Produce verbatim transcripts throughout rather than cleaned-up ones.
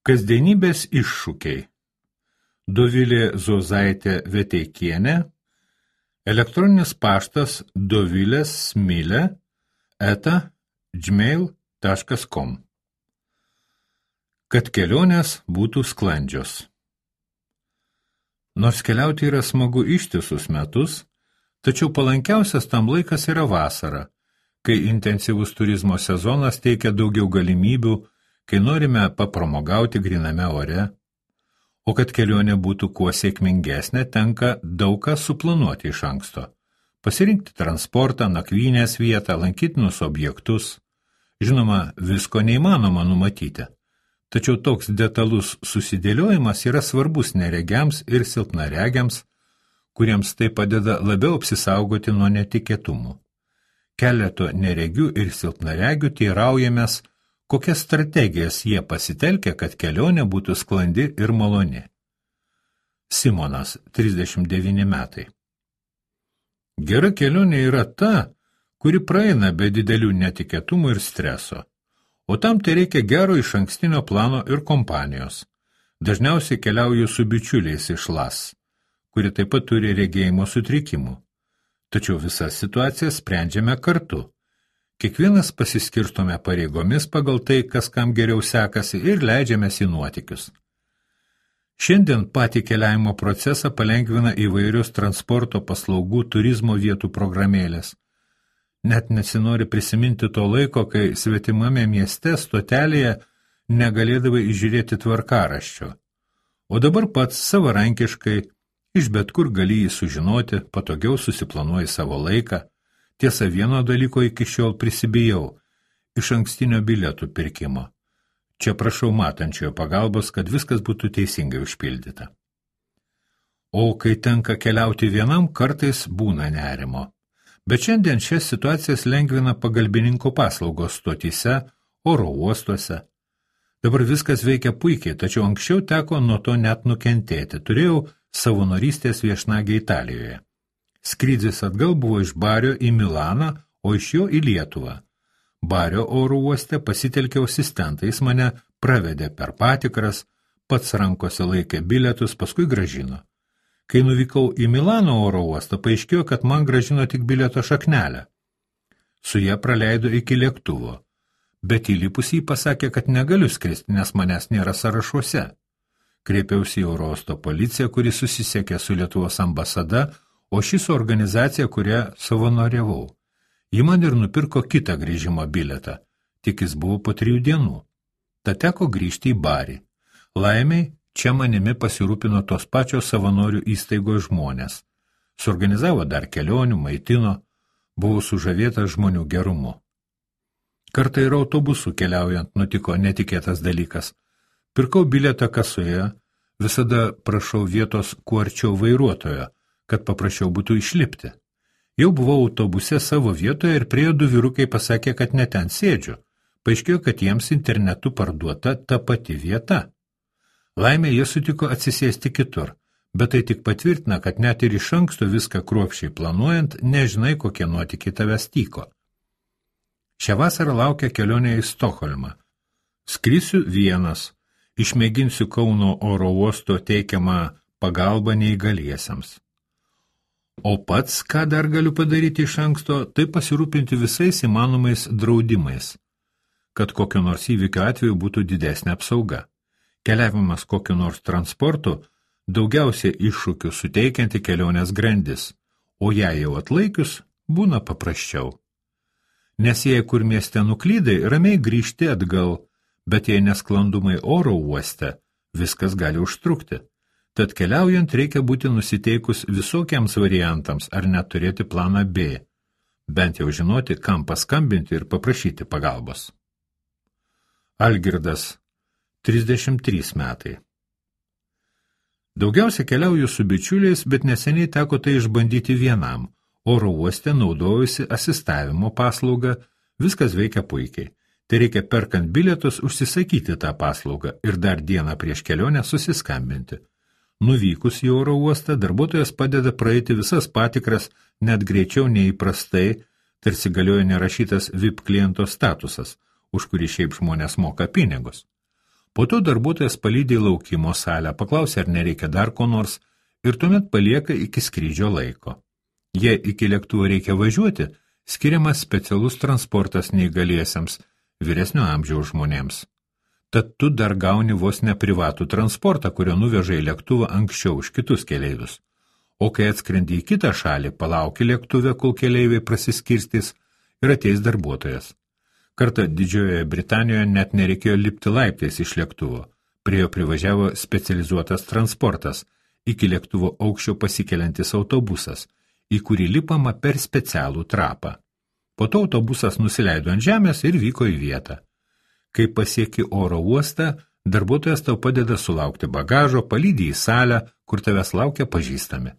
Kasdienybės iššūkiai. Dovilė Zozaitė Veteikienė, elektroninis paštas dovilės smilė eta gmail taškas com. Kad kelionės būtų sklandžios. Nors keliauti yra smagu ištisus metus, tačiau palankiausias tam laikas yra vasara, kai intensyvus turizmo sezonas teikia daugiau galimybių, kai norime papramogauti gryname ore, o kad kelionė būtų kuo sėkmingesnė, tenka daug ką suplanuoti iš anksto. Pasirinkti transportą, nakvynės vietą, lankytinus objektus. Žinoma, visko neįmanoma numatyti, tačiau toks detalus susidėliojimas yra svarbus neregiams ir silpnaregiams, kuriems tai padeda labiau apsisaugoti nuo netikėtumų. Keleto neregių ir silpnaregių teiraujamės, kokias strategijas jie pasitelkia, kad kelionė būtų sklandi ir maloni. Simonas, trisdešimt devyni metai. Gera kelionė yra ta, kuri praeina be didelių netikėtumų ir streso, o tam tai reikia gero išankstinio plano ir kompanijos. Dažniausiai keliauju su bičiuliais iš Las, kuri taip pat turi regėjimo sutrikimų. Tačiau visas situacijas sprendžiame kartu. Kiekvienas pasiskirstome pareigomis pagal tai, kas kam geriau sekasi, ir leidžiamės į nuotykius. Šiandien patį keliavimo procesą palengvina įvairius transporto paslaugų turizmo vietų programėlės. Net nesinori prisiminti to laiko, kai svetimame mieste stotelėje negalėdavai įžiūrėti tvarkaraščio. O dabar pats savarankiškai, iš bet kur gali jį sužinoti, patogiau susiplanuoji savo laiką. Tiesa, vieno dalyko iki šiol prisibijau – iš ankstinio bilietų pirkimo. Čia prašau matančiojo pagalbos, kad viskas būtų teisingai užpildyta. O kai tenka keliauti vienam, kartais būna nerimo. Bet šiandien šias situacijas lengvina pagalbininko paslaugos stotyse, oro uostuose. Dabar viskas veikia puikiai, tačiau anksčiau teko nuo to net nukentėti. Turėjau savanorystės viešnagę Italijoje. Skrydis atgal buvo iš Bario į Milaną, o iš jo į Lietuvą. Bario oro uoste pasitelkiau asistentą, jis mane pravedė per patikras, pats rankose laikė bilietus, paskui grąžino. Kai nuvykau į Milano oro uostą, paaiškėjo, kad man grąžino tik bilieto šaknelę. Su ją praleido iki lėktuvo, bet įlipus jį pasakė, kad negaliu skristi, nes manęs nėra sąrašuose. Kreipiausi į oro uosto policiją, kuri susisiekė su Lietuvos ambasada, o šis organizacija, kurią savanoriavau. Ji man ir nupirko kitą grįžimo bilietą, tik jis buvo po trijų dienų. Tad teko grįžti į Barį. Laimiai, čia manimi pasirūpino tos pačios savanorių įstaigos žmonės. Suorganizavo dar kelionių, maitino, buvau sužavėtas žmonių gerumu. Kartą ir autobusu keliaujant nutiko netikėtas dalykas. Pirkau bilietą kasoje, visada prašau vietos kuo arčiau vairuotojo, kad paprašiau būtų išlipti. Jau buvau autobuse savo vietoje ir priejo du vyrukai pasakė, kad ne ten sėdžiu. Paaiškėjo, kad jiems internetu parduota ta pati vieta. Laimė jie sutiko atsisėsti kitur, bet tai tik patvirtina, kad net ir iš anksto viską kruopščiai planuojant, nežinai, kokie nuotykiai tavęs tyko. Šią vasarą laukia kelionė į Stokholmą. Skrisiu vienas, išmėginsiu Kauno oro uosto teikiamą pagalbą neįgaliesiems. O pats, ką dar galiu padaryti iš anksto, tai pasirūpinti visais įmanomais draudimais, kad kokio nors įvykio atveju būtų didesnė apsauga. Keliavimas kokiu nors transportu daugiausiai iššūkių suteikianti kelionės grandis, o jei jau atlaikius, būna paprasčiau. Nes jei kur mieste nuklydai, ramiai grįžti atgal, bet jei nesklandumai oro uoste, viskas gali užtrukti. Tad keliaujant reikia būti nusiteikus visokiams variantams ar net turėti planą B, bent jau žinoti, kam paskambinti ir paprašyti pagalbos. Algirdas, trisdešimt trys metai. Daugiausia keliauju su bičiuliais, bet neseniai teko tai išbandyti vienam. Oro uoste naudojusi asistavimo paslaugą, viskas veikia puikiai. Tai reikia perkant bilietus užsisakyti tą paslaugą ir dar dieną prieš kelionę susiskambinti. Nuvykus į oro uostą, darbuotojas padeda praeiti visas patikras net greičiau neįprastai, tarsi galioja nerašytas V I P kliento statusas, už kurį šiaip žmonės moka pinigus. Po to darbuotojas palydi į laukimo salę, paklausia, ar nereikia dar ko nors, ir tuomet palieka iki skrydžio laiko. Jei iki lėktuvo reikia važiuoti, skiriamas specialus transportas neįgaliesiems, vyresnio amžiaus žmonėms. Tad tu dar gauni vos ne privatų transportą, kurio nuveža į lėktuvą anksčiau už kitus keleivius. O kai atskrendi į kitą šalį, palauki lėktuve, kol keleiviai prasiskirstys ir ateis darbuotojas. Kartą Didžiojoje Britanijoje net nereikėjo lipti laiptais iš lėktuvo. Prie jo privažiavo specializuotas transportas, iki lėktuvo aukščio pasikeliantis autobusas, į kurį lipama per specialų trapą. Po to autobusas nusileido ant žemės ir vyko į vietą. Kai pasieki oro uostą, darbuotojas tau padeda sulaukti bagažo, palydi į salę, kur tavęs laukia pažįstami.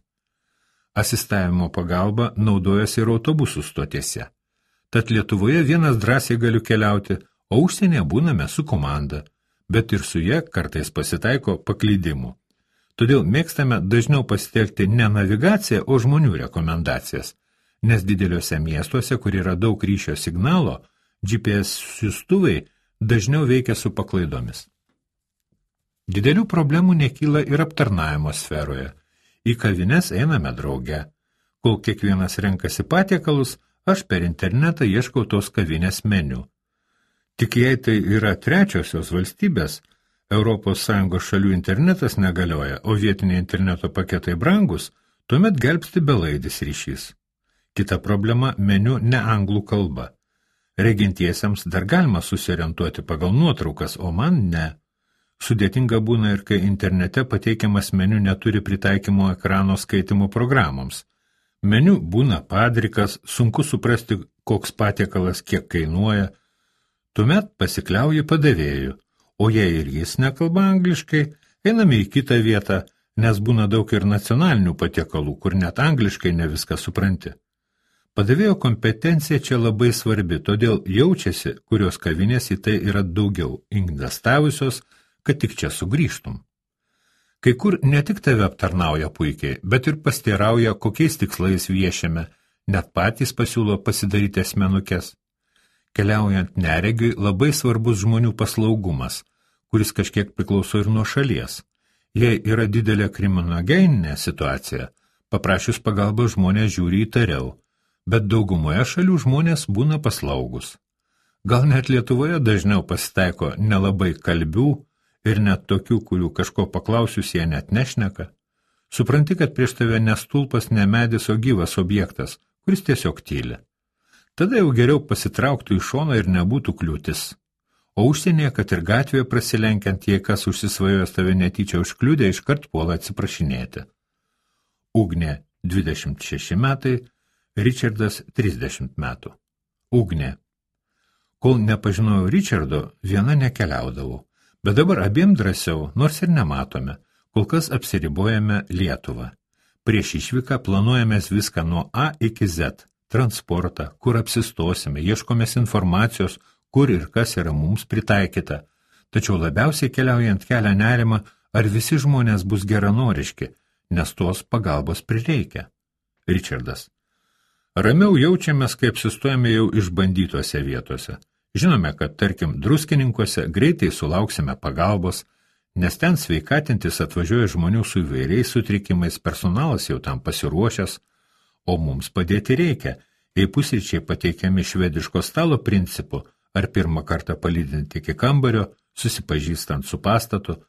Asistavimo pagalba naudojasi ir autobusų stotėse. Tad Lietuvoje vienas drąsiai galiu keliauti, o užsienyje būname su komanda, bet ir su ja kartais pasitaiko paklydimų. Todėl mėgstame dažniau pasitelkti ne navigaciją, o žmonių rekomendacijas, nes dideliuose miestuose, kur yra daug ryšio signalo, G P S siųstuvai dažniau veikia su paklaidomis. Didelių problemų nekyla ir aptarnavimo sferoje. Į kavines einame drauge. Kol kiekvienas renkasi patiekalus, aš per internetą ieškau tos kavinės meniu. Tik jei tai yra trečiosios valstybės, Europos Sąjungos šalių internetas negalioja, o vietiniai interneto paketai brangus, tuomet gelbsti belaidis ryšys. Kita problema – meniu ne anglų kalba. Regintiesiems dar galima susiorientuoti pagal nuotraukas, o man ne. Sudėtinga būna ir kai internete pateikiamas meniu neturi pritaikymo ekrano skaitimo programoms. Meniu būna padrikas, sunku suprasti, koks patiekalas kiek kainuoja. Tuomet pasikliauji padavėju, o jei ir jis nekalba angliškai, einame į kitą vietą, nes būna daug ir nacionalinių patiekalų, kur net angliškai ne viską supranti. Padavėjo kompetencija čia labai svarbi, todėl jaučiasi, kurios kavinės į tai yra daugiau investavusios, kad tik čia sugrįžtum. Kai kur ne tik tave aptarnauja puikiai, bet ir pasteirauja, kokiais tikslais viešiame, net patys pasiūlo pasidaryti asmenukes. Keliaujant neregiui labai svarbus žmonių paslaugumas, kuris kažkiek priklauso ir nuo šalies. Jei yra didelė kriminogeninė situacija, paprašius pagalbą žmonės žiūri įtariau, bet daugumoje šalių žmonės būna paslaugus. Gal net Lietuvoje dažniau pasitaiko nelabai kalbių, ir net tokių, kurių kažko paklausius jie net nešneka. Supranti, kad prieš tave ne stulpas, ne medis, o gyvas objektas, kuris tiesiog tyli. Tada jau geriau pasitrauktų į šoną ir nebūtų kliūtis. O užsienyje, kad ir gatvėje prasilenkiant, jei kas užsisvajojęs tave netyčia užkliudė, iškart puola atsiprašinėti. Ugnė dvidešimt šeši metai, Richardas trisdešimt metų. Ugnė. Kol nepažinojau Richardo, viena nekeliaudavau. Bet dabar abiem drąsiau, nors ir nematome, kol kas apsiribojame Lietuvą. Prieš išvyką planuojamės viską nuo A iki Z, transportą, kur apsistosime, ieškomės informacijos, kur ir kas yra mums pritaikyta. Tačiau labiausiai keliaujant kelia nerimą, ar visi žmonės bus geranoriški, nes tos pagalbos prireikia. Richardas. Ramiau jaučiamės, kai apsistojame jau išbandytose vietose. Žinome, kad, tarkim, Druskininkuose greitai sulauksime pagalbos, nes ten sveikatintis atvažiuoja žmonių su įvairiais sutrikimais, personalas jau tam pasiruošęs, o mums padėti reikia, jei pusryčiai pateikiami švediško stalo principu, ar pirmą kartą palydinti iki kambario, susipažįstant su pastatu,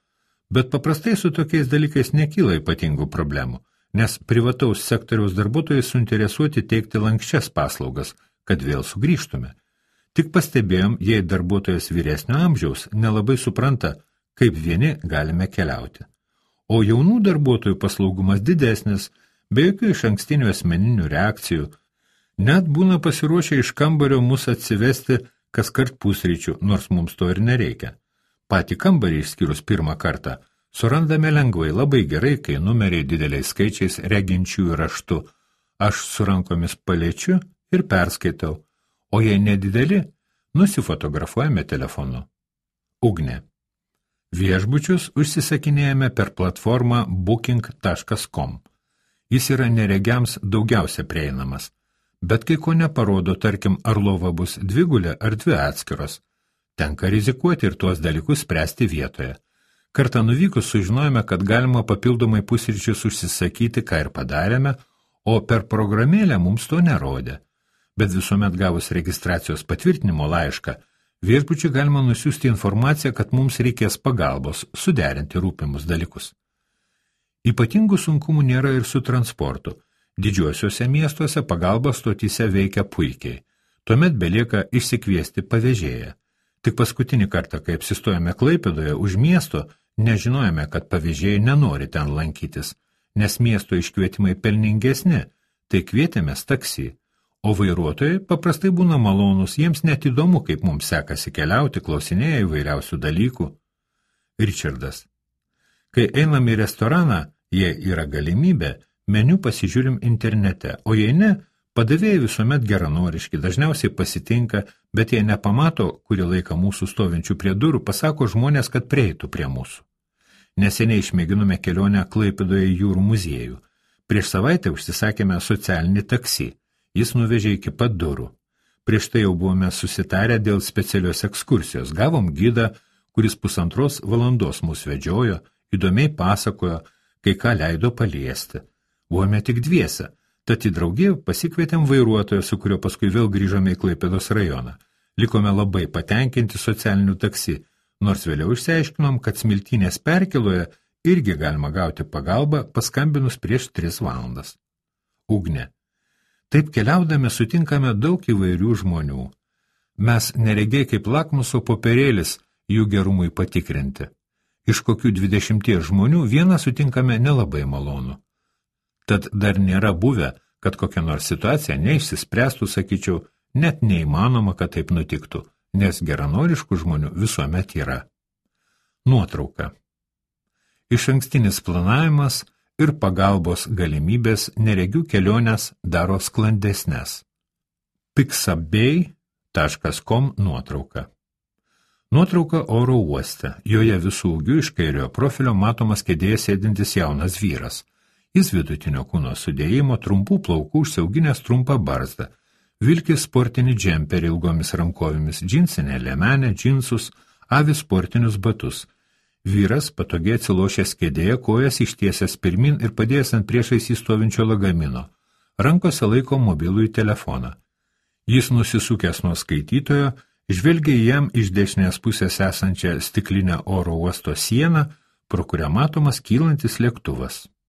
bet paprastai su tokiais dalykais nekyla ypatingų problemų, nes privataus sektoriaus darbuotojai suinteresuoti teikti lankščias paslaugas, kad vėl sugrįžtume. Tik pastebėjom, jei darbuotojas vyresnio amžiaus nelabai supranta, kaip vieni galime keliauti. O jaunų darbuotojų paslaugumas didesnis, be jokių iš ankstinių asmeninių reakcijų, net būna pasiruošę iš kambario mus atsivesti kaskart pusryčių, nors mums to ir nereikia. Patį kambarį išskyrus pirmą kartą surandame lengvai, labai gerai, kai numeriai dideliais skaičiais reginčiųjų raštu. Aš su rankomis paliečiu ir perskaitau. O jei nedideli, nusifotografuojame telefonu. Ugnė. Viešbučius užsisakinėjame per platformą booking taškas com. Jis yra neregiams daugiausia prieinamas, bet kai ko neparodo, tarkim, ar lova bus dvigulė ar dvi atskiros. tenka rizikuoti ir tuos dalykus spręsti vietoje. Kartą nuvykus sužinojome, kad galima papildomai pusryčius užsisakyti, ką ir padarėme, o per programėlę mums to nerodė. Bet visuomet gavus registracijos patvirtinimo laišką, viešbučiui galima nusiųsti informaciją, kad mums reikės pagalbos suderinti rūpimus dalykus. Ypatingų sunkumų nėra ir su transportu. Didžiuosiuose miestuose pagalbos stotyse veikia puikiai. Tuomet belieka išsikviesti pavėžėją. Tik paskutinį kartą, kai apsistojame Klaipėdoje už miesto, nežinojame, kad pavėžėjai nenori ten lankytis, nes miesto iškvietimai pelningesni, tai kvietėmės taksi. O vairuotojai paprastai būna malonus, jiems net įdomu, kaip mums sekasi keliauti, klausinėja įvairiausių dalykų. Richardas. Kai einam į restoraną, jei yra galimybė, meniu pasižiūrim internete, o jei ne, padavėjai visuomet geranoriški, dažniausiai pasitinka, bet jei nepamato, kurį laiką mūsų stovinčių prie durų, pasako žmonės, kad prieitų prie mūsų. Neseniai išmėginome kelionę Klaipėdoje jūrų muziejų. Prieš savaitę užsisakėme socialinį taksi. Jis nuvežė iki pat durų. Prieš tai jau buvome susitarę dėl specialios ekskursijos. Gavom gidą, kuris pusantros valandos mus vedžiojo, įdomiai pasakojo, kai ką leido paliesti. Buvome tik dviese, tad į draugiją pasikvietėm vairuotoją, su kurio paskui vėl grįžome į Klaipėdos rajoną. Likome labai patenkinti socialiniu taksi, nors vėliau išsiaiškinom, kad Smiltynės perkėloje irgi galima gauti pagalbą, paskambinus prieš tris valandas. Ugnė. Taip keliaudami sutinkame daug įvairių žmonių. Mes neregiai kaip lakmuso popierėlis jų gerumui patikrinti. Iš kokių dvidešimties žmonių vieną sutinkame nelabai malonu. Tad dar nėra buvę, kad kokia nors situacija neišsispręstų, sakyčiau, net neįmanoma, kad taip nutiktų, nes geranoriškų žmonių visuomet yra. Nuotrauka. Išankstinis planavimas ir pagalbos galimybės neregių kelionės daro sklandesnes. pixabay taškas com nuotrauka. Nuotrauka oro uoste. Joje visų ūgių iš kairiojo profilio matomas kėdėje sėdintis jaunas vyras. Jis vidutinio kūno sudėjimo, trumpų plaukų, užsiauginęs trumpą barzdą. Vilki sportinį džemperį ilgomis rankovėmis, džinsinę liemenę, džinsus, avi sportinius batus. Vyras patogiai atsilošęs kėdėje, kojas ištiesęs pirmin ir padėjęs ant priešais įstovinčio lagamino. Rankose laiko mobilųjį telefoną. Jis nusisukęs nuo skaitytojo, žvelgia jam iš dešinės pusės esančią stiklinę oro uosto sieną, pro kurią matomas kylantis lėktuvas.